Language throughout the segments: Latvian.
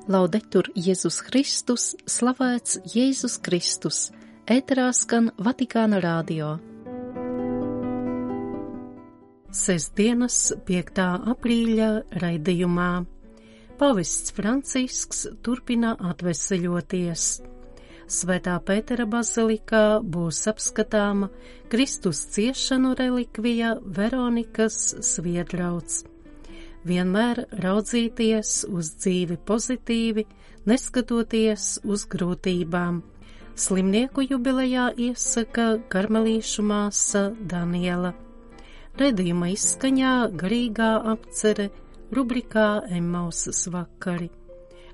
Laudetur Jēzus Kristus, slavēts Jēzus Kristus, ēterā skan Vatikāna radio. Sestdienas 5. aprīļa raidījumā Pāvests Francisks turpina atveseļoties. Svētā Pētera bazilikā būs apskatāma Kristus ciešanu relikvija Veronikas sviedrauds. Vienmēr raudzīties uz dzīvi pozitīvi, neskatoties uz grūtībām. Slimnieku jubilejā iesaka karmelīšu māsa Daniela. Raidījuma izskaņā garīgā apcere rubrikā Emmausas vakari.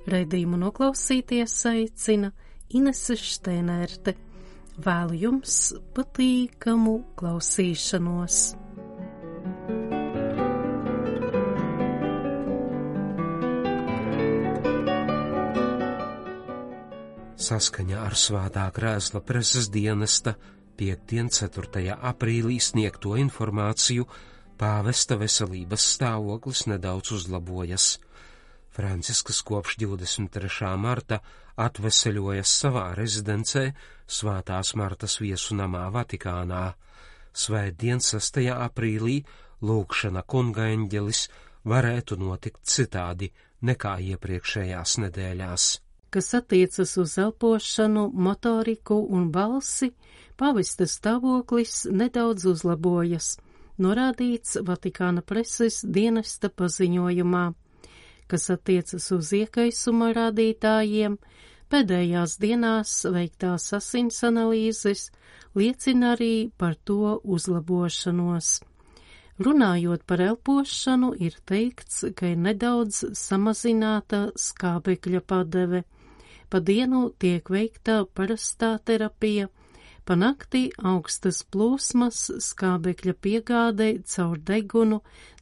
Raidījumu noklausīties aicina Inese Šteinerte. Vēlu jums patīkamu klausīšanos. Saskaņā ar Svētā krēsla preses dienesta 5. 4. aprīlī sniegto informāciju pāvesta veselības stāvoklis nedaudz uzlabojas. Francisks kopš 23. marta atveseļojas savā rezidencē Svētās Martas viesu namā Vatikānā. Svētdien 6. aprīlī lūgšana Kunga eņģelis varētu notikt citādi nekā iepriekšējās nedēļās. Kas attiecas uz elpošanu, motoriku un balsi, pāvesta stāvoklis nedaudz uzlabojas, norādīts Vatikāna preses dienesta paziņojumā. Kas attiecas uz iekaisuma rādītājiem, pēdējās dienās veiktās asins analīzes liecina arī par to uzlabošanos. Runājot par elpošanu, ir teikts, ka ir nedaudz samazināta skābekļa padeve. Pa dienu tiek veikta parastā terapija, pa nakti augstas plūsmas skābekļa piegāde caur degunu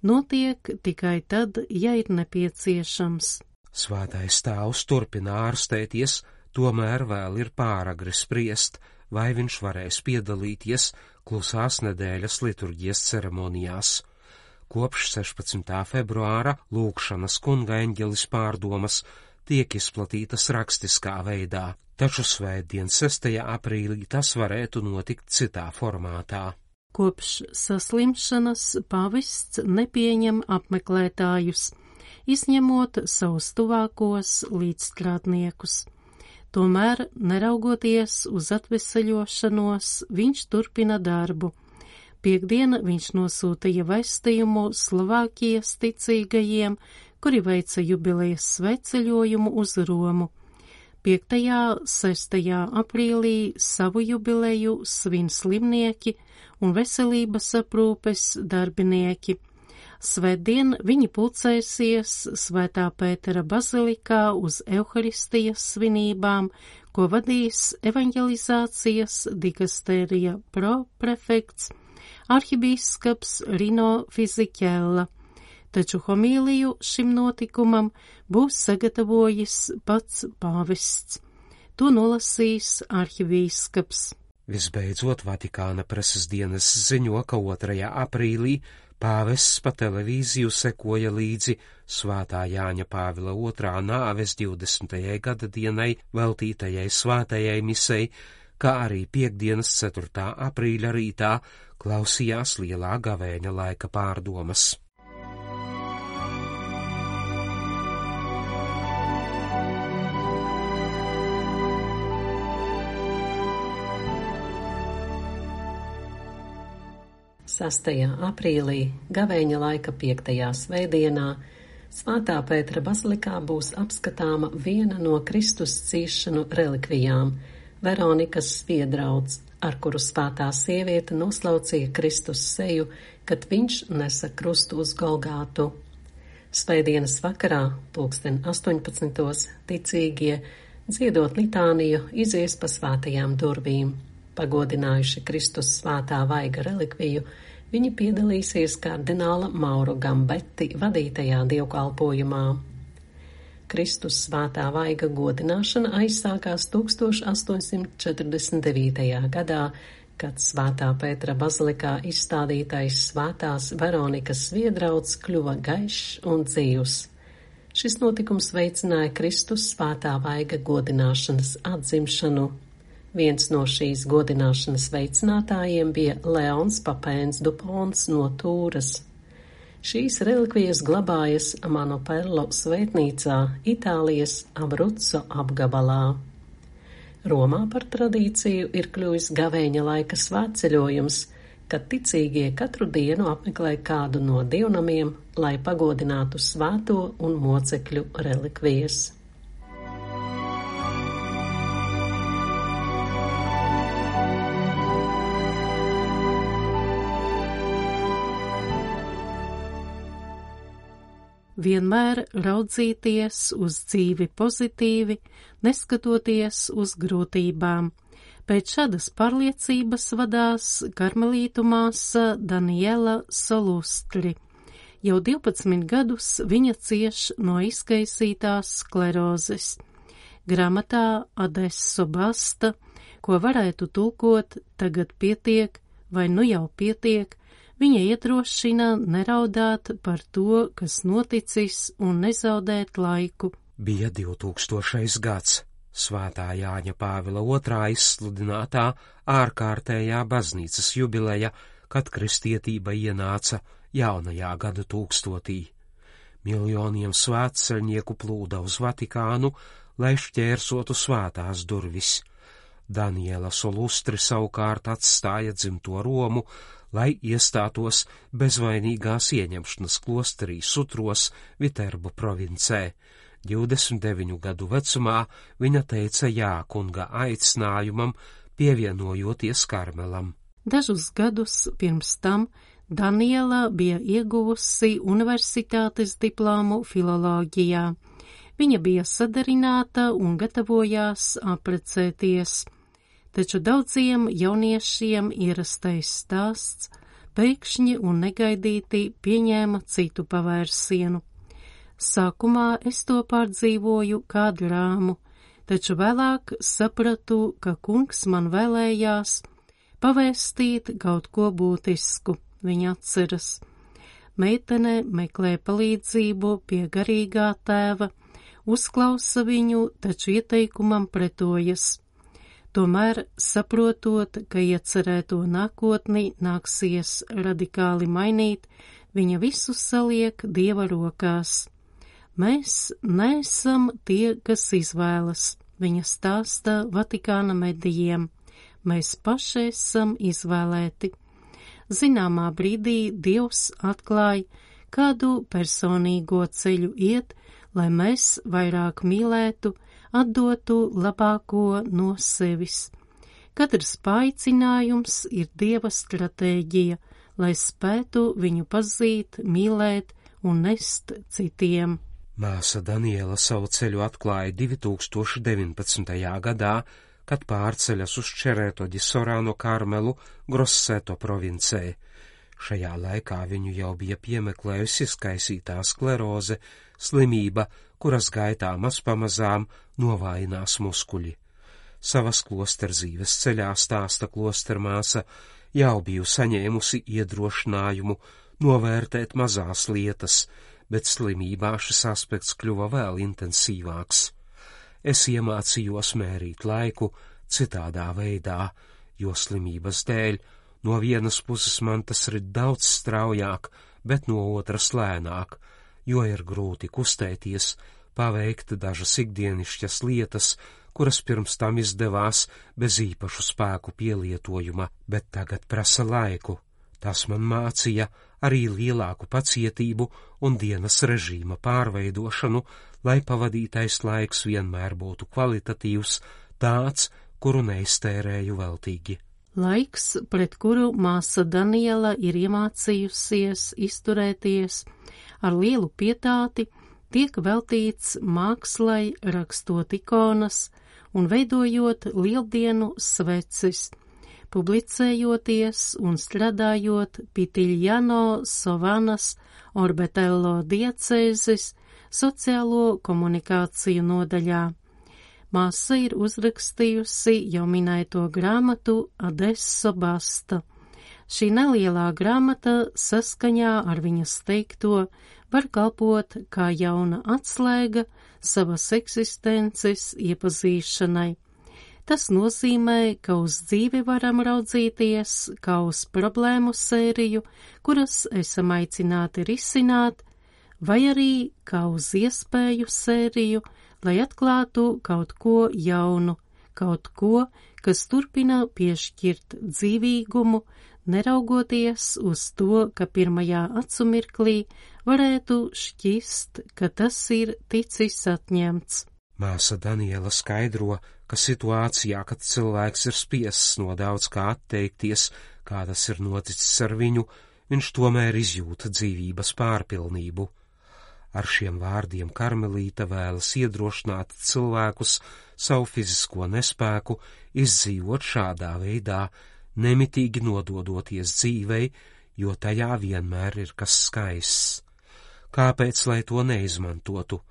notiek tikai tad, ja ir nepieciešams. Svētais tēvs turpina ārstēties, tomēr vēl ir pāragri spriest, vai viņš varēs piedalīties klusās nedēļas liturģijas ceremonijās. Kopš 16. februāra lūgšanas Kunga eņģelis pārdomas tiek izplatītas rakstiskā veidā, taču svētdien 6. aprīlī tas varētu notikt citā formātā. Kopš saslimšanas pāvests nepieņem apmeklētājus, izņemot savus tuvākos līdzstrādniekus. Tomēr, neraugoties uz atveseļošanos, viņš turpina darbu. Piektdien viņš nosūtīja vēstījumu Slovākijas ticīgajiem, kuri veica jubilejas svētceļojumu uz Romu. 5. 6. aprīlī savu jubileju svin slimnieki un veselības aprūpes darbinieki. Svētdien viņi pulcēsies Svētā Pētera bazilikā uz Euharistijas svinībām, ko vadīs evanģelizācijas dikastērija proprefekts arhibīskaps Rino Fisiķella, taču homīliju šim notikumam būs sagatavojis pats pāvests. To nolasīs arhibīskaps. Visbeidzot, Vatikāna preses dienas ziņo, ka 2. aprīlī pāvests pa televīziju sekoja līdzi Svētā Jāņa Pāvila II nāves 20. gada dienai veltītajai svētajai misei, kā arī piektdienas 4. aprīļa rītā klausījās lielā gavēņa laika pārdomas. Sastajā aprīlī, gavēņa laika 5. svētdienā, Svētā Pētera bazilikā būs apskatāma viena no Kristus ciešanu relikvijām – Veronikas sviedrauds, ar kuru svētā sieviete noslaucīja Kristus seju, kad viņš nesa krustu uz Golgātu. Svētdienas vakarā, 18. ticīgie, dziedot litāniju, izies pa svētajām durvīm. Pagodinājuši Kristus svētā vaiga relikviju, viņi piedalīsies kardināla Mauro Gambetti vadītajā dievkalpojumā. Kristus svētā vaiga godināšana aizsākās 1849. gadā, kad Svētā Pētera bazilikā izstādītais Svētās Veronikas sviedrauds kļuva gaišs un dzīvs. Šis notikums veicināja Kristus svētā vaiga godināšanas atzimšanu. Viens no šīs godināšanas veicinātājiem bija Leons Papēns Dupons no Tūras. Šīs relikvijas glabājas Manoperlo svētnīcā Itālijas Abruzzo apgabalā. Romā par tradīciju ir kļuvis gavēņa laika svētceļojums, kad ticīgie katru dienu apmeklē kādu no dievnamiem, lai pagodinātu svēto un mocekļu relikvijas. Vienmēr raudzīties uz dzīvi pozitīvi, neskatoties uz grūtībām. Pēc šādas pārliecības vadās karmelītu māsa Daniela Solustri. Jau 12 gadus viņa cieš no izkaisītās sklerozes. Grāmatā Adesso basta, ko varētu tulkot tagad pietiek vai nu jau pietiek, viņa iedrošina neraudāt par to, kas noticis, un nezaudēt laiku. Bija 2000. gads. Svētā Jāņa Pāvila II izsludinātā ārkārtējā baznīcas jubileja, kad kristietība ienāca jaunajā gadu tūkstotī. Miljoniem svētceļnieku plūda uz Vatikānu, lai šķērsotu svētās durvis. Daniela Solustri savukārt atstāja dzimto Romu, lai iestātos bezvainīgās ieņemšanas klosterī Sutros, Viterbo provincē. 29 gadu vecumā viņa teica jā kunga aicinājumam, pievienojoties Karmelam. Dažus gadus pirms tam Daniela bija ieguvusi universitātes diplomu filoloģijā. Viņa bija sadarināta un gatavojās apprecēties. Taču daudziem jauniešiem ierastais stāsts pēkšņi un negaidīti pieņēma citu pavērsienu. Sākumā es to pārdzīvoju kā drāmu, taču vēlāk sapratu, ka kungs man vēlējās pavēstīt kaut ko būtisku, viņa atceras. Meitene meklē palīdzību pie garīgā tēva, uzklausa viņu, taču ieteikumam pretojas. Tomēr, saprotot, ka iecerēto nākotni nāksies radikāli mainīt, viņa visu saliek Dieva rokās. Mēs neesam tie, kas izvēlas, viņa stāsta Vatikāna medijiem. Mēs paši esam izvēlēti. Zināmā brīdī Dievs atklāja, kādu personīgo ceļu iet, lai mēs vairāk mīlētu, atdotu labāko no sevis. Katrs paaicinājums ir Dieva stratēģija, lai spētu viņu pazīt, mīlēt un nest citiem. Māsa Daniela savu ceļu atklāja 2019. gadā, kad pārceļas uz Čereto di Sorano Karmelu Grosseto provincē. Šajā laikā viņu jau bija piemeklējusi izkaisītā skleroze, slimība, kuras gaitā mazpamazām novājinās muskuļi. Savas klosterzīves ceļā stāsta klostermāsa, jau biju saņēmusi iedrošinājumu novērtēt mazās lietas, bet slimībā šis aspekts kļuva vēl intensīvāks. Es iemācījos mērīt laiku citādā veidā, jo slimības dēļ no vienas puses man tas rit daudz straujāk, bet no otras lēnāk, jo ir grūti kustēties, paveikt dažas ikdienišķas lietas, kuras pirms tam izdevās bez īpašu spēku pielietojuma, bet tagad prasa laiku. Tas man mācīja arī lielāku pacietību un dienas režīma pārveidošanu, lai pavadītais laiks vienmēr būtu kvalitatīvs, tāds, kuru neiztērēju veltīgi. Laiks, pret kuru māsa Daniela ir iemācījusies izturēties ar lielu pietāti, tiek veltīts mākslai, rakstot ikonas un veidojot lieldienu sveces, publicējoties un strādājot Pitiljano Sovanas Orbetello diecēzes sociālo komunikāciju nodaļā. Māsa ir uzrakstījusi jau minēto grāmatu Adesso basta. Šī nelielā grāmata saskaņā ar viņas teikto var kalpot kā jauna atslēga savas eksistences iepazīšanai. Tas nozīmē, ka uz dzīvi varam raudzīties kā uz problēmu sēriju, kuras esam aicināti risināt, vai arī kā uz iespēju sēriju, lai atklātu kaut ko jaunu, kaut ko, kas turpina piešķirt dzīvīgumu, neraugoties uz to, ka pirmajā acumirklī varētu šķist, ka tas ir ticis atņemts. Māsa Daniela skaidro, ka situācijā, kad cilvēks ir spiests no daudz kā atteikties, kā tas ir noticis ar viņu, viņš tomēr izjūta dzīvības pārpilnību. Ar šiem vārdiem Karmelīte vēlas iedrošināt cilvēkus savu fizisko nespēku izdzīvot šādā veidā, nemitīgi nododoties dzīvei, jo tajā vienmēr ir kas skaists. Kāpēc, lai to neizmantotu?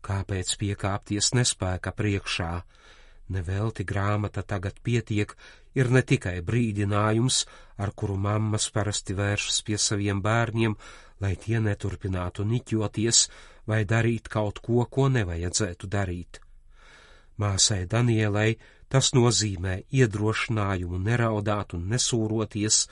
Kāpēc piekāpties nespēka priekšā? Nevelti grāmata Tagad pietiek ir ne tikai brīdinājums, ar kuru mammas parasti vēršas pie saviem bērniem, lai tie neturpinātu niķoties vai darīt kaut ko, ko nevajadzētu darīt. Māsai Danielai tas nozīmē iedrošinājumu neraudāt un nesūroties,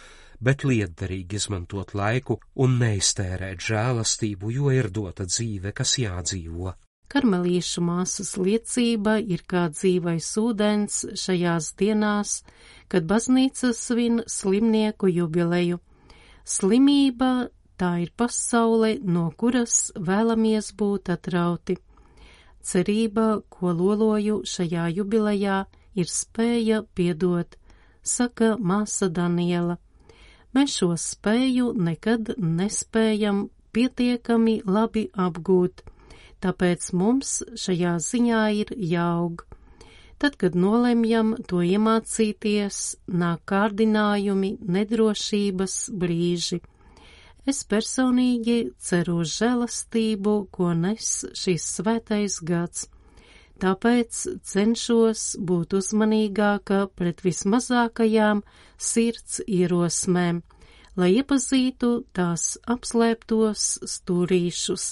bet lietderīgi izmantot laiku un neiztērēt žēlastību, jo ir dota dzīve, kas jādzīvo. Karmelīšu māsas liecība ir kā dzīvais ūdens šajās dienās, kad baznīca svin slimnieku jubileju. Slimība tā ir pasaule, no kuras vēlamies būt atrauti. Cerība, ko loloju šajā jubilejā, ir spēja piedot, saka māsa Daniela. Mēs šo spēju nekad nespējam pietiekami labi apgūt. Tāpēc mums šajā ziņā ir jāaug. Tad, kad nolemjam to iemācīties, nāk kārdinājumi, nedrošības brīži. Es personīgi ceru uz žēlastību, ko nes šis svētais gads. Tāpēc cenšos būt uzmanīgāka pret vismazākajām sirds ierosmēm, lai iepazītu tās apslēptos stūrīšus,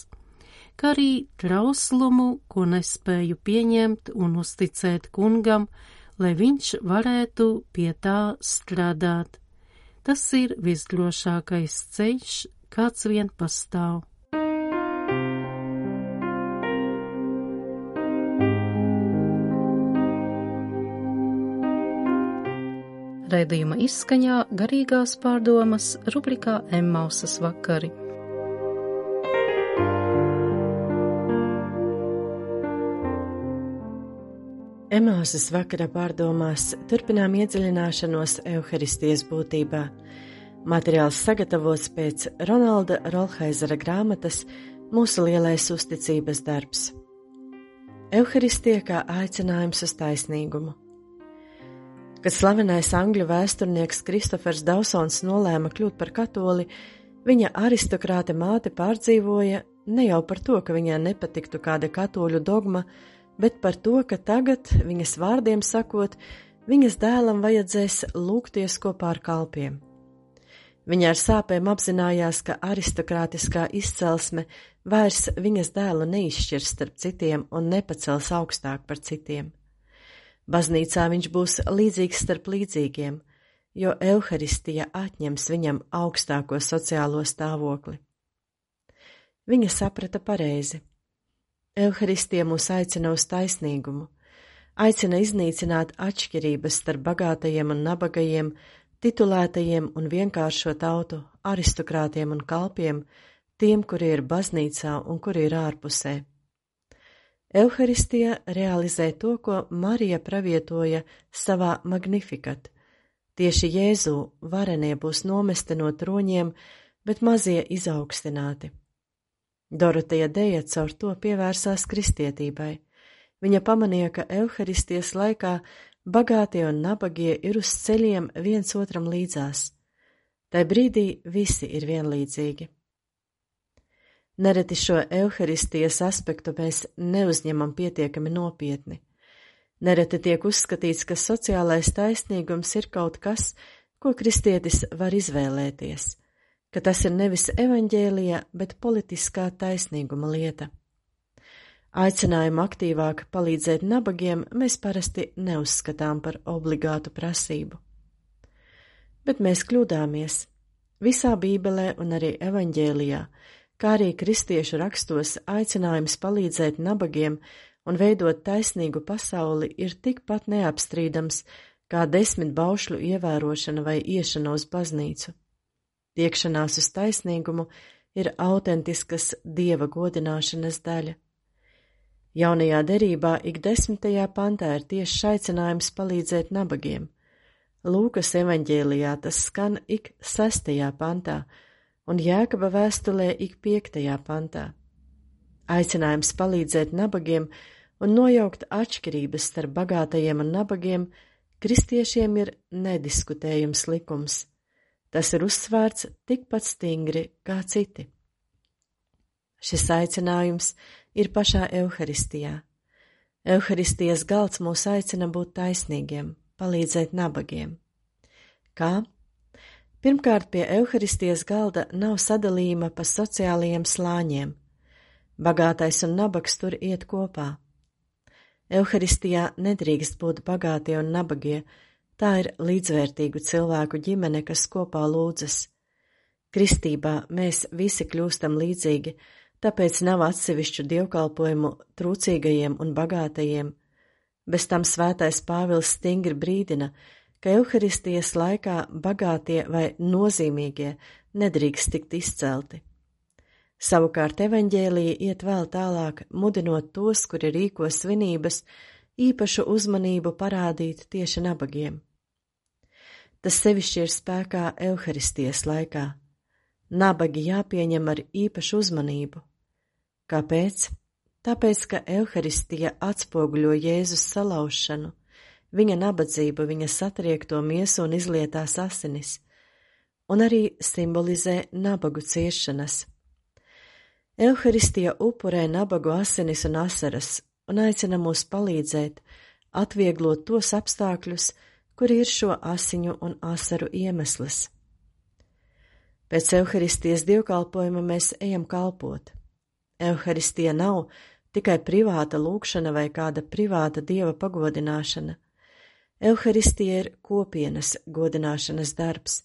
kā arī trauslumu, ko nespēju pieņemt un uzticēt kungam, lai viņš varētu pie tā strādāt. Tas ir visdrošākais ceļš, kāds vien pastāv. Raidījuma izskaņā garīgās pārdomas rubrikā Emmausas vakari. Emmausas vakara pārdomās turpinām iedziļināšanos Euharistijas būtībā. Materiāls sagatavots pēc Ronalda Rolheizera grāmatas Mūsu lielais uzticības darbs. Euharistija kā aicinājums uz taisnīgumu. Kad slavenais angļu vēsturnieks Kristofers Dawsons nolēma kļūt par katoli, viņa aristokrāte māte pārdzīvoja ne jau par to, ka viņai nepatiktu kāda katoļu dogma, bet par to, ka tagad, viņas vārdiem sakot, viņas dēlam vajadzēs lūgties kopā ar kalpiem. Viņa ar sāpēm apzinājās, ka aristokrātiskā izcelsme vairs viņas dēlu neizšķirs starp citiem un nepacels augstāk par citiem. Baznīcā viņš būs līdzīgs starp līdzīgiem, jo Euharistija atņems viņam augstāko sociālo stāvokli. Viņa saprata pareizi. Euharistija mūs aicina uz taisnīgumu, aicina iznīcināt atšķirības starp bagātajiem un nabagajiem, titulētajiem un vienkāršo tautu, aristokrātiem un kalpiem, tiem, kuri ir baznīcā un kuri ir ārpusē. Euharistija realizē to, ko Marija pravietoja savā Magnificat. Tieši Jēzu varenie būs nomesti no troņiem, bet mazie izaugstināti. Doroteja Deja caur to pievērsās kristietībai. Viņa pamanīja, ka Euharistijas laikā bagātie un nabagie ir uz ceļiem viens otram līdzās. Tai brīdī visi ir vienlīdzīgi. Nereti šo Euharistijas aspektu mēs neuzņemam pietiekami nopietni. Nereti tiek uzskatīts, ka sociālais taisnīgums ir kaut kas, ko kristietis var izvēlēties, ka tas ir nevis evaņģēlija, bet politiskā taisnīguma lieta. Aicinājumu aktīvāk palīdzēt nabagiem mēs parasti neuzskatām par obligātu prasību. Bet mēs kļūdāmies. Visā Bībelē un arī evaņģēlijā, kā arī kristiešu rakstos, aicinājums palīdzēt nabagiem un veidot taisnīgu pasauli ir tikpat neapstrīdams kā 10 baušļu ievērošana vai iešana uz baznīcu. Tiekšanās uz taisnīgumu ir autentiskas Dieva godināšanas daļa. Jaunajā derībā ik 10. pantā ir tieši aicinājums palīdzēt nabagiem. Lūkas evaņģēlijā tas skan ik 6. pantā un Jēkaba vēstulē ik 5. pantā. Aicinājums palīdzēt nabagiem un nojaukt atšķirības starp bagātajiem un nabagiem kristiešiem ir nediskutējums likums. Tas ir uzsvērts tikpat stingri kā citi. Šis aicinājums ir pašā Euharistijā. Euharistijas galds mūs aicina būt taisnīgiem, palīdzēt nabagiem. Kā? Pirmkārt, pie Euharistijas galda nav sadalījuma pa sociālajiem slāņiem. Bagātais un nabags tur iet kopā. Euharistijā nedrīkst būt bagātie un nabagie, tā ir līdzvērtīgu cilvēku ģimene, kas kopā lūdzas. Kristībā mēs visi kļūstam līdzīgi, tāpēc nav atsevišķu dievkalpojumu trūcīgajiem un bagātajiem. Bez tam svētais Pāvils stingri brīdina, ka Euharistijas laikā bagātie vai nozīmīgie nedrīkst tikt izcelti. Savukārt evaņģēlija iet vēl tālāk, mudinot tos, kuri rīko svinības, īpašu uzmanību parādīt tieši nabagiem. Tas sevišķi ir spēkā Euharistijas laikā. Nabagi jāpieņem ar īpašu uzmanību. Kāpēc? Tāpēc, ka Euharistija atspoguļo Jēzus salaušanu, viņa nabadzību, viņa satriekto miesu un izlietās asinis, un arī simbolizē nabagu ciešanas. Euharistija upurē nabagu asinis un asaras un aicina mūs palīdzēt, atvieglot tos apstākļus, kuri ir šo asiņu un asaru iemesls. Pēc Euharistijas dievkalpojuma mēs ejam kalpot. Euharistija nav tikai privāta lūgšana vai kāda privāta Dieva pagodināšana. Euharistija ir kopienas godināšanas darbs,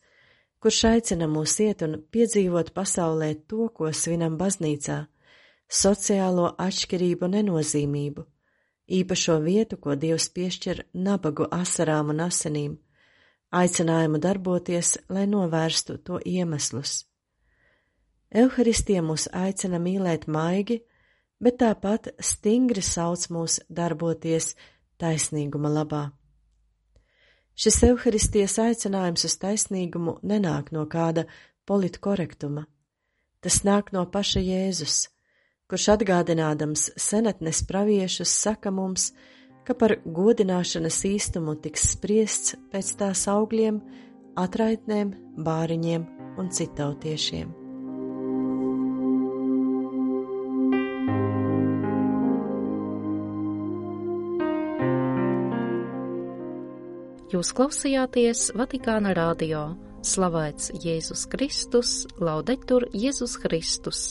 kurš aicina mūs iet un piedzīvot pasaulē to, ko svinam baznīcā, sociālo atšķirību nenozīmību, īpašo vietu, ko Dievs piešķir nabagu asarām un asinīm, aicinājumu darboties, lai novērstu to iemeslus. Euharistija mūs aicina mīlēt maigi, bet tāpat stingri sauc mūs darboties taisnīguma labā. Šis Euharistijas aicinājums uz taisnīgumu nenāk no kāda politkorektuma. Tas nāk no paša Jēzus, kurš atgādinādams senatnes praviešus saka mums, ka par godināšanas īstumu tiks spriests pēc tās augļiem, atraitnēm, bāriņiem un citautiešiem. Jūs klausījāties Vatikāna radio. Slavēts Jēzus Kristus, laudetur Jēzus Kristus.